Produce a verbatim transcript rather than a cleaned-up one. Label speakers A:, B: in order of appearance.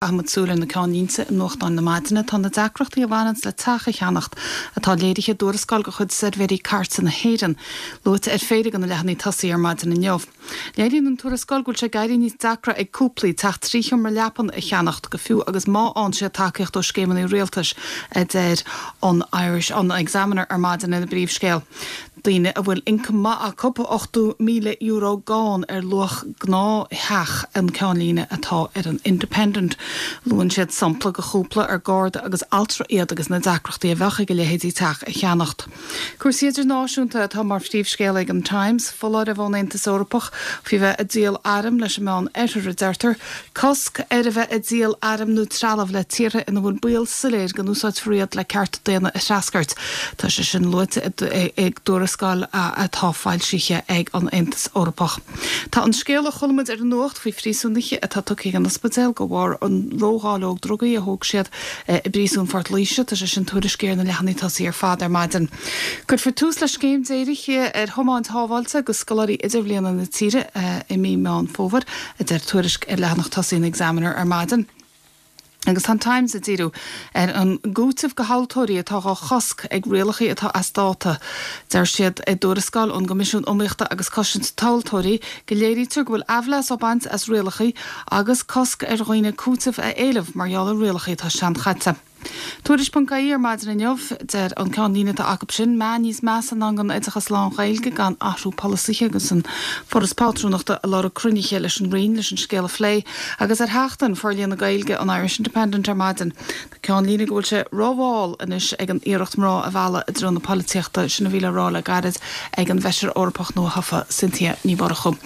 A: Caithfimid súil ar na ceannlínte i nuachtáin na maidine tá na deacrachtaí a bhaineann le teach a cheannacht atá léirithe i dtuarascáil de chuid Suirbhéirí Cairte na hÉireann, luaite ar phéire de na leathanaigh tosaigh ar maidin inniu. Léiríonn an tuarascáil go bhfuil sé ag éirí níos deacra ag cúplaí teach trí sheomra leapan a cheannacht go fiú agus má fhaigheann siad tacaíocht ó scéimeanna rialtais a deir an Irish an Examiner ar maidin ina bpríomhscéal. Daoine a bhfuil ioncam maith acu ochtó míle euro gann ar luach gnáth-theach an ceannlíne atá ar an Independent. Luann siad sampla de chúpla ar garda agus altra iad agus na deacrachtaí a bheadh ag a leithéidí teach a cheannacht. Cúrsaí idirnáisiúnta atá mar phríomhscéal ag an Times, foláireamh ón Aontas Eorpach faoi bheith ag díol arm leis an Meán Oirthear a deirtear, cosc ar a bheith ag díol arm nó trealamh le tíortha ina bhfuil baol soiléir go n-úsáidfear iad le cearta daonna a threascairt. Tá sé sin luaite i dtuarascáil atá foilsithe ag an Aontas Eorpach. Tá an scéal a chuala muid ar an nuacht faoi phríosúnaithe atá tugtha ag an ospidéal de bharr an ródháileog drugaí a thóg siad i bpríosún Phort Laoise, tá sé sin tuairiscithe ar na leathanaigh tosaigh ar fad ar maidin. Cuirfear tús le scéim dírithe ar thiomáint shábháilte do scoláirí idirbhliana na tíre i mí Meán Fómhair, a deir tuairisc ar leathanach tosaigh an Examiner ar maidin. Agus tá an Times ag díriú ar an gcúiteamh do thomhaltóirí atá á chosc ag rialacha atá as dáta. Deir siad i dtuarascáil ón gCoimisiún Iomaíochta agus Cosaint Tomhaltóirí go léirítear go bhfuil aimhleas á baint as rialacha agus cosc ar dhaoine cúiteamh a éileamh mar gheall ar rialacha atá seanchaite. Tuairisc.ie ar maidin inniu, deir an ceannlíne atá acu sin meath níos measa i ndán don oideachas lán-Ghaeilge gan athrú polasaithe agus an Foras Pátrúnachta ag lorg cruinnithe leis an Roinn leis an scéal a phlé agus ar sheachtain forlíonadh Gaeilge an Irish Independent ar maidin. Tá ceannlíne go bhfuil sé rómhall anois ag an iarracht mná a mhealladh i dtreo na polaitíochta sin a bhí le rá le gairid ag an bhFeisire Eorpach nua-thofa Cynthia Ní Mhurchú.